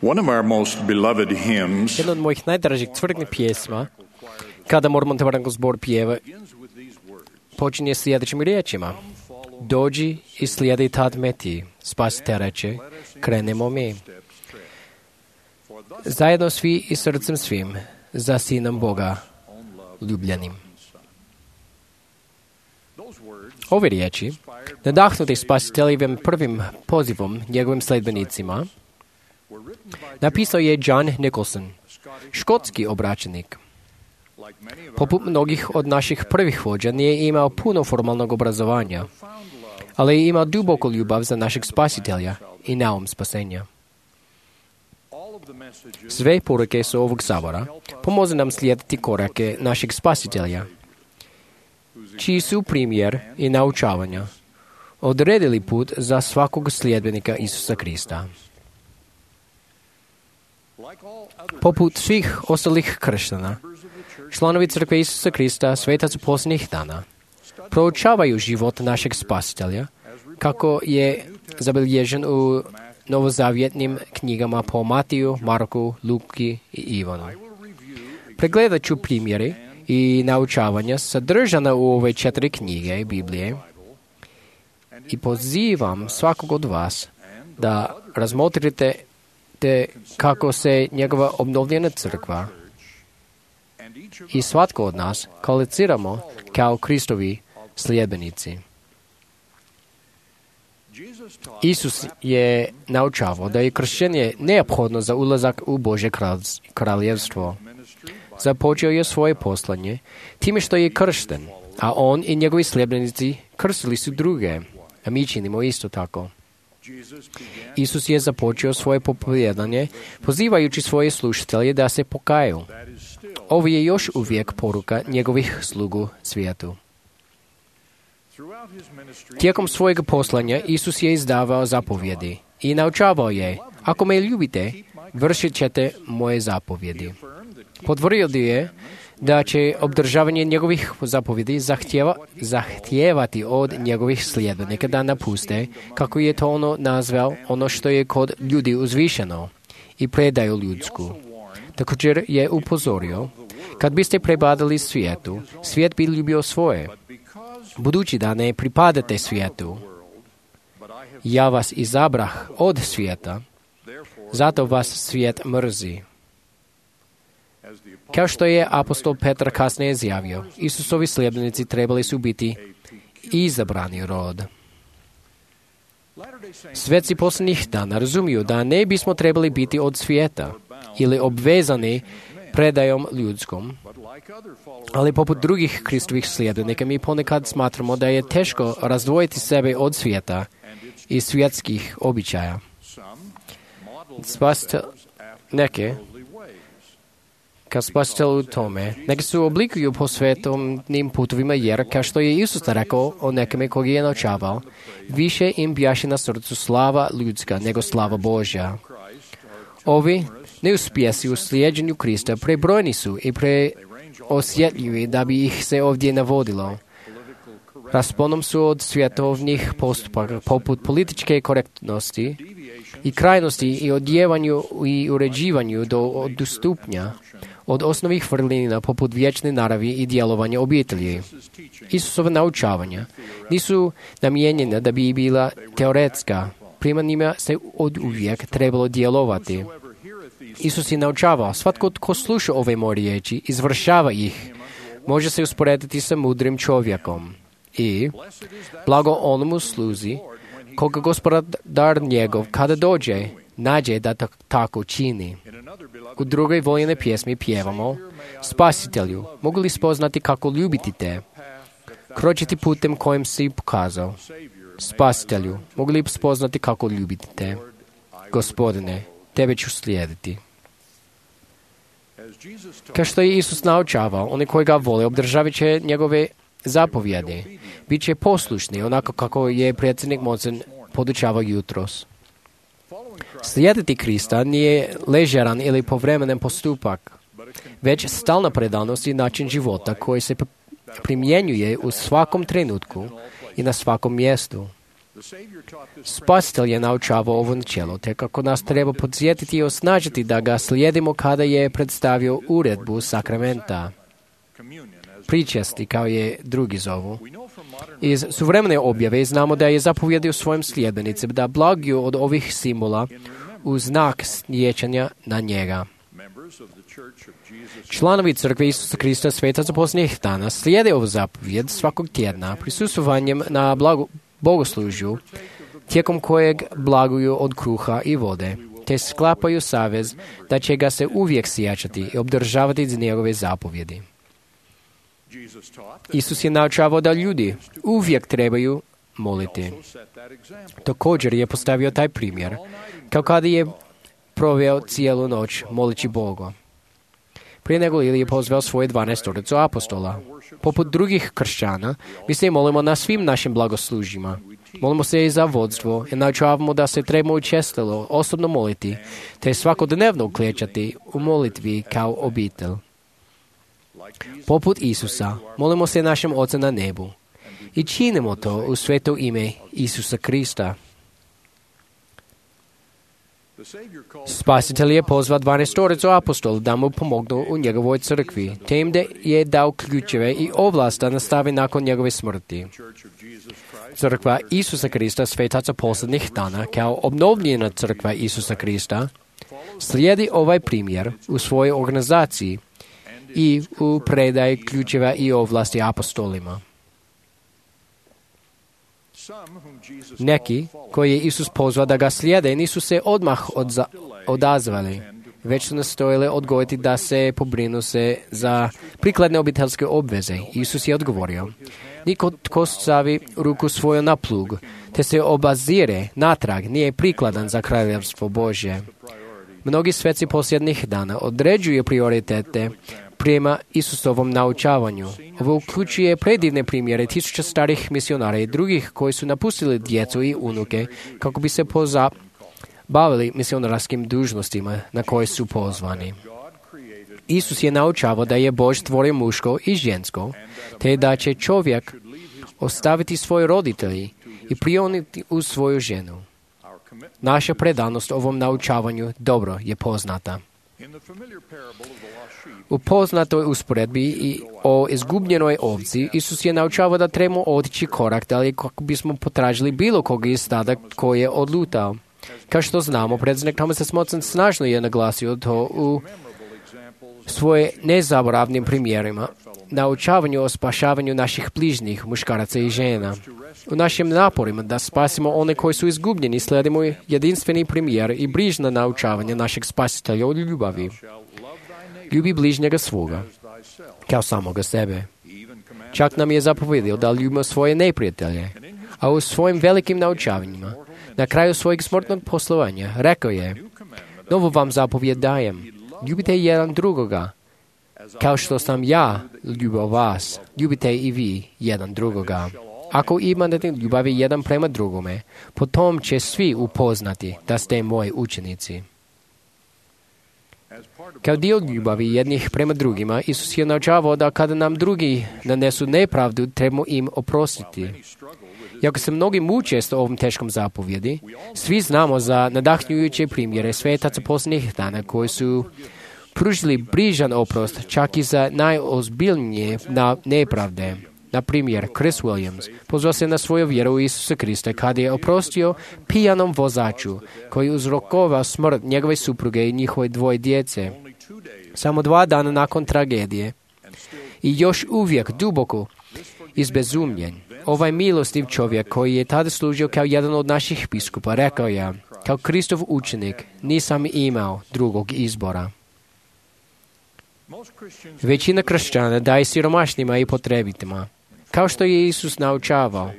One of our most beloved hymns Jedna od mojih najdražih crkvenih pjesma, kada Mormontevarango zbor pjeva, počinje sljedećim riječima. Dođi i slijedi tad me ti, spasite reče, krenemo mi. Zajedno svi i srcem svim, za Sinom Boga ljubljenim. Ove riječi, nadahnuti spasiteljevim prvim pozivom njegovim sledbenicima, napisao je John Nicholson, škotski obraćenik. Poput mnogih od naših prvih vođa nije imao puno formalnog obrazovanja, ali je imao duboku ljubav za našeg spasitelja i naum spasenja. Sve poruke su ovog sabora pomoze nam slijediti korake našeg spasitelja, čiji su primjer i naučavanja odredili put za svakog sljedbenika Isusa Krista. Poput svih ostalih kršćana, članovi crkve Isusa Krista, svetac posljednjih dana, proučavaju život našeg spasitelja, kako je zabilježen u novozavjetnim knjigama po Matiju, Marku, Luki i Ivanu. Pregledat ću primjeri i naučavanja sadržana u ove 4 knjige Biblije i pozivam svakog od vas da razmotrite kako se njegova obnovljena crkva i svatko od nas kvalificiramo kao Kristovi sljedbenici. Isus je naučavao da je kršćenje neophodno za ulazak u Božje kraljevstvo. Započeo je svoje poslanje time što je kršten, a on i njegovi sljedbenici krstili su druge, a mi činimo isto tako. Isus je započeo svoje propovijedanje pozivajući svoje slušatelje da se pokaju. Ovo je još uvijek poruka njegovih slugu svijetu. Tijekom svojeg poslanja Isus je izdavao zapovjedi i naučavao je: ako me ljubite, vršit ćete moje zapovjedi. Potvrdio je da će obdržavanje njegovih zapovjedi zahtijevati od njegovih sljedbenika da napuste, kako je to ono nazvao, ono što je kod ljudi uzvišeno, i predaju ljudsku. Također je upozorio: kad biste prebadali svijetu, svijet bi ljubio svoje. Budući da ne pripadate svijetu, ja vas izabrah od svijeta, zato vas svijet mrzi. Kao što je apostol Petar kasnije izjavio, Isusovi sljedbenici trebali su biti izabrani rod. Sveci posljednjih dana razumiju da ne bismo trebali biti od svijeta ili obvezani predajom ljudskom, ali poput drugih Kristovih sljedbenika mi ponekad smatramo da je teško razdvojiti sebe od svijeta i svjetskih običaja. Kad spasitelj u tome, neki su oblikuju po svetovnim putovima, jer, kao što je Isus rekao o nekome koga je naučavao, više im bjaše na srcu slava ljudska nego slava Božja. Ovi neuspjesi u slijeđenju Krista prebrojni su i preosjetljivi da bi ih se ovdje navodilo. Rasponom su od svjetovnih postupaka poput političke korektnosti i krajnosti i odjevanju i uređivanju do odstupnja od osnovnih vrlina poput vječne naravi i djelovanja obitelji. Isusova naučavanja nisu namijenjena da bi bila teoretska, prema njima se od uvijek trebalo djelovati. Isus je naučavao: svatko tko sluša ove moje riječi, izvršava ih, može se usporediti sa mudrim čovjekom. I blago onomu sluzi koga gospodar njegov, kada dođe, nađe da tako čini. U drugoj voljene pjesmi pjevamo: Spasitelju, mogu li spoznati kako ljubiti te, kročiti putem kojem si pokazao. Spasitelju, mogu li spoznati kako ljubiti te, Gospodine, tebe ću slijediti. Kao što je Isus naučavao, oni koji ga vole obdržavit će njegove zapovjedi, bit će poslušni, onako kako je predsjednik Monsen podučavao jutros. Slijediti Krista nije ležeran ili povremenen postupak, već stalna predanost i način života koji se primjenjuje u svakom trenutku i na svakom mjestu. Spasitelj je naučavao ovo načelo, te kako nas treba podsjetiti i osnažiti da ga slijedimo kada je predstavio uredbu sakramenta, pričesti, kao je drugi zovu. Iz suvremene objave znamo da je zapovjedio svojim sljedbenicima da blaguju od ovih simbola u znak sjećanja na njega. Članovi Crkve Isusa Krista Svetaca posljednjih dana slijede ovu zapovjed svakog tjedna prisustvovanjem na bogoslužju, tijekom kojeg blaguju od kruha i vode, te sklapaju savez da će ga se uvijek sjećati i obdržavati iz njegove zapovjedi. Isus je naučavao da ljudi uvijek trebaju moliti. Također je postavio taj primjer, kao kada je proveo cijelu noć molići Boga. Prije nego li je pozvao svoje 12 apostola. Poput drugih kršćana, mi se molimo na svim našim blagoslužjima. Molimo se i za vodstvo i naučavamo da se trebamo učestalo osobno moliti, te svakodnevno uklečati u molitvi kao obitelj. Poput Isusa, molimo se našem Ocu na nebu i činimo to u sveto ime Isusa Krista. Spasitelj je pozvao 12 apostola da mu pomognu u njegovoj crkvi, te im je dao ključeve i ovlast da nastavi nakon njegove smrti. Crkva Isusa Krista Svetaca posljednjih dana, kao obnovljena crkva Isusa Krista, slijedi ovaj primjer u svojoj organizaciji i u predaji ključeva i ovlasti apostolima. Neki koji je Isus pozvao da ga slijede nisu se odmah odazvali, već su nastojali odgojiti da se pobrinu se za prikladne obiteljske obveze. Isus je odgovorio: niko tko stavi ruku svoju na plug, te se obazire natrag, nije prikladan za kraljevstvo Božje. Mnogi sveci posljednjih dana određuju prioritete prema Isusovom naučavanju. Ovo uključuje predivne primjere tisuća starih misionara i drugih koji su napustili djecu i unuke kako bi se bavili misionarskim dužnostima na koje su pozvani. Isus je naučavao da je Bož stvorio muško i žensko, te da će čovjek ostaviti svoje roditelji i prioniti uz svoju ženu. Naša predanost ovom naučavanju dobro je poznata. U poznatoj usporedbi i o izgubljenoj ovci, Isus je naučavao da trebamo otići korak dalje kako bismo potražili bilo koga iz stada koji je odlutao. Kao što znamo, predsjednik Thomas S. Monson snažno je naglasio to u svoje nezaboravnim primjerima, naučavanju o spašavanju naših bližnjih, muškaraca i žena. U našim naporima da spasimo one koji su izgubljeni, slijedimo jedinstveni primjer i brižno naučavanje našeg spasitelja od ljubavi. Ljubi bližnjega svoga, kao samoga sebe. Čak nam je zapovjedio da ljubimo svoje neprijatelje, a u svojim velikim naučavanjima, na kraju svojeg smrtnog poslovanja, rekao je: novu vam zapovjed dajem, ljubite jedan drugoga, kao što sam ja ljubio vas, ljubite i vi jedan drugoga. Ako imate ljubavi jedan prema drugome, potom će svi upoznati da ste moji učenici. Kao dio ljubavi jednih prema drugima, Isus je naučavao da kada nam drugi nanesu nepravdu, trebamo im oprostiti. Iako se mnogi muče s ovom teškom zapovjedi, svi znamo za nadahnjujuće primjere svetaca posljednjih dana koji su pružili brižan oprost čak i za najozbiljnije nepravde. Na primjer, Chris Williams pozvao se na svoju vjeru u Isusa Krista kada je oprostio pijanom vozaču koji uzrokovao smrt njegove supruge i njihove 2 djece. Samo 2 dana nakon tragedije i još uvijek duboko izbezumljen, ovaj milostiv čovjek koji je tada služio kao jedan od naših biskupa rekao je: kao Kristov učenik nisam imao drugog izbora. Većina kršćana daje siromašnima i potrebitima, kao što je Isus naučavao.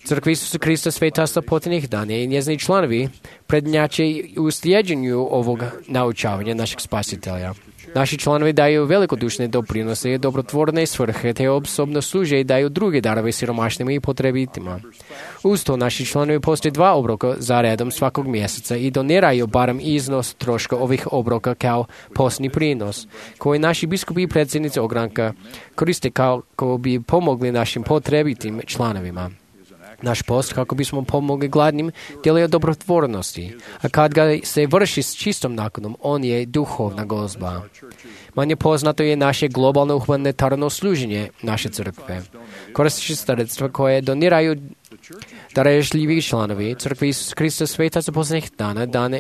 Crkva Isusa Krista Svetaca posljednjih dana i njezini članovi prednjače u slijeđenju ovog naučavanja našeg spasitelja. Naši članovi daju velikodušne doprinose i dobrotvorne svrhe, te osobno služe i daju druge darove siromašnima i potrebitima. Uz to naši članovi postoje 2 obroka za redom svakog mjeseca i doniraju barem iznos troška ovih obroka kao posni prinos, koji naši biskupi i predsjednici ogranka koriste kako bi pomogli našim potrebitim članovima. Naš post, kako bismo pomogli gladnim, djeluje dobrotvornosti, a kad ga se vrši s čistom nakonom, on je duhovna gozba. Manje poznato je naše globalno humanitarno služenje naše crkve. Koristeći sredstva koje doniraju darežljivi članovi crkve Isus Krista svetaca posljednjih dana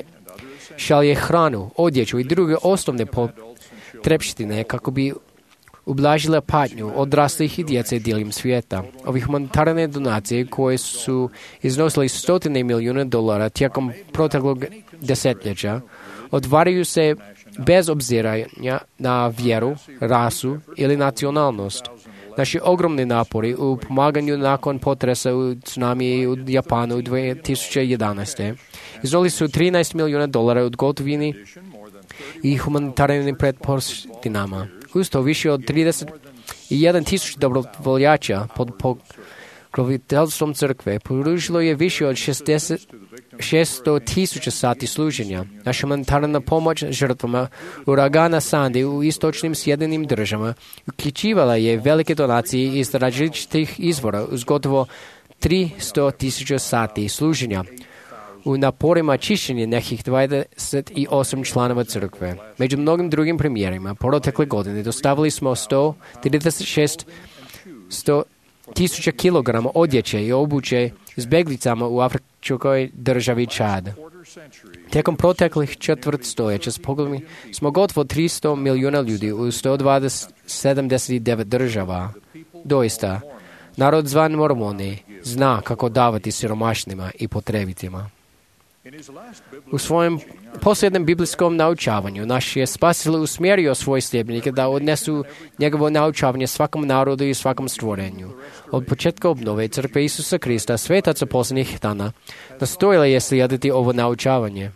šalje hranu, odjeću i druge osnovne potrepštine kako bi ublažila patnju odraslih i djece diljem svijeta. Ove humanitarne donacije koje su iznosili stotine milijuna dolara tijekom proteklog desetljeća odvaraju se bez obziranja na vjeru, rasu ili nacionalnost. Naši ogromni napori u pomaganju nakon potresa u tsunami u Japanu 2011. iznijeli su 13 milijuna dolara u gotovini i humanitarnim pretpostavkama. Uz to više od 31,000 dobrovoljača pod pokroviteljstvom crkve pružilo je više od 600,000 sati služenja. Naša humanitarna pomoć žrtvama uragana Sandy u istočnim Sjedinjenim Državama uključivala je velike donacije iz različitih izvora uz gotovo 300,000 sati služenja. U naporima čišćenja nekih 28 članova crkve. Među mnogim drugim primjerima, protekle godine dostavili smo 136,000 kilograma odjeće i obuće izbjeglicama u afričkoj državi Čad. Tijekom proteklih četvrt stoljeća smo gotovo 300 milijuna ljudi u 179 država. Doista, narod zvan Mormoni zna kako davati siromašnima i potrebitima. U svojem posljednjem biblijskom naučavanju naš je Spasitelj usmjerio svoje sljedbenike da odnesu njegovo naučavanje svakom narodu i svakom stvorenju. Od početka obnove crkve Isusa Krista, svetaca posljednjih dana, nastojala je slijediti ovo naučavanje.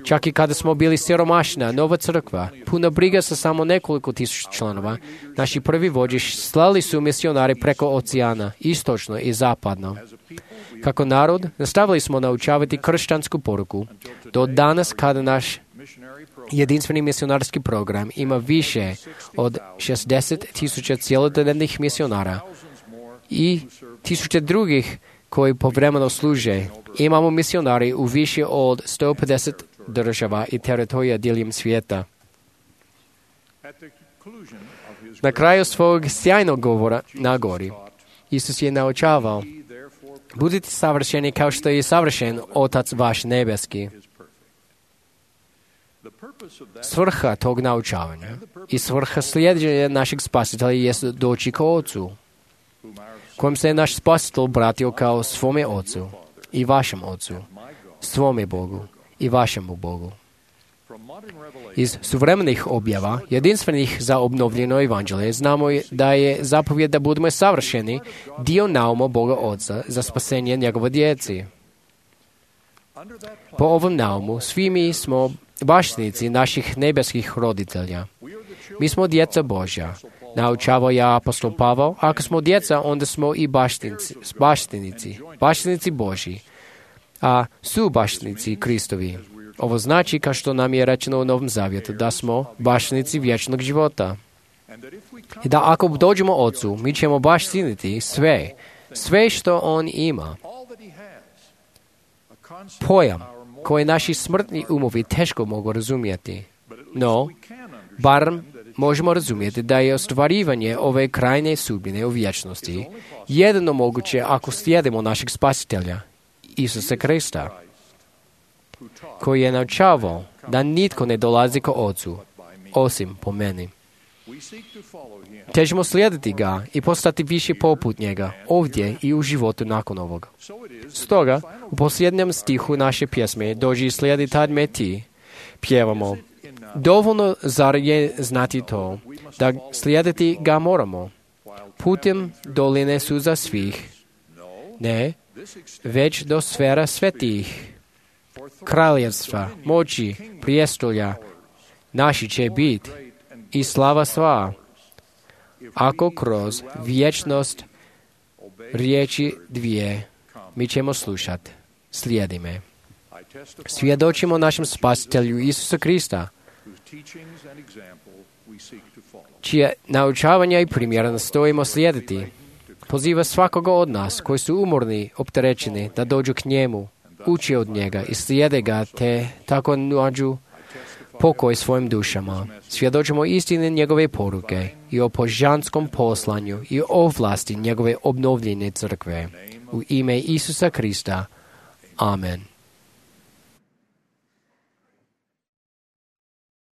Čak i kada smo bili siromašna, nova crkva, puna briga sa samo nekoliko tisuća članova, naši prvi vođi slali su misionari preko oceana, istočno i zapadno. Kako narod, nastavili smo naučavati kršćansku poruku, do danas kada naš jedinstveni misionarski program ima više od 60,000 cjelodnevnih misionara i tisuće drugih koji povremeno služe. Imamo misionari u više od 150 država i teritorija diljem svijeta. Na kraju svog sjajnog govora na gori, Isus je naučavao: budite savršeni kao što je savršen Otac vaš nebeski. Svrha tog naučavanja i svrha slijeđenja našeg Spasitelja jest doći k Ocu, kojem se naš Spasitelj obratio kao svome Ocu i vašem Ocu, svome Bogu i vašemu Bogu. Iz suvremenih objava, jedinstvenih za obnovljeno evanđelje, znamo da je zapovjed da budemo savršeni dio nauma Boga Oca za spasenje njegove djeci. Po ovom naumu svi mi smo baštinici naših nebeskih roditelja. Mi smo djeca Božja. Naučavao je apostol Pavao: ako smo djeca, onda smo i baštinici Božji, a su baštinici Kristovi. Ovo znači, kao što nam je rečeno u Novom Zavjetu, da smo baštinici vječnog života. I da ako dođemo Ocu, mi ćemo baštiniti sve što On ima. Pojam koji naši smrtni umovi teško mogu razumjeti. No, barem možemo razumjeti da je ostvarivanje ove krajnje sudbine u vječnosti jedino moguće ako slijedimo našeg Spasitelja, Isusa Krista, koji je naučavao da nitko ne dolazi ko Ocu, osim po meni. Težimo slijediti ga i postati više poput njega, ovdje i u životu nakon ovoga. Stoga, u posljednjem stihu naše pjesme "Dođi slijedi tad me ti", pjevamo: dovoljno zar je znati to, da slijediti ga moramo, putem doline suza svih, ne, već do sfera svetih, kraljevstva, moći, prijestolja, naši će biti i slava sva, ako kroz vječnost riječi dvije mi ćemo slušati: slijedi me. Svjedočimo našem Spasitelju Isusa Krista, čije naučavanja i primjera nastojimo slijediti. Poziva svakoga od nas koji su umorni, opterećeni, da dođu k njemu, uči od njega i slijede ga, te tako nađu pokoj svojim dušama. Svjedočimo istine njegove poruke i o božanskom poslanju i o vlasti njegove obnovljene crkve. U ime Isusa Krista. Amen.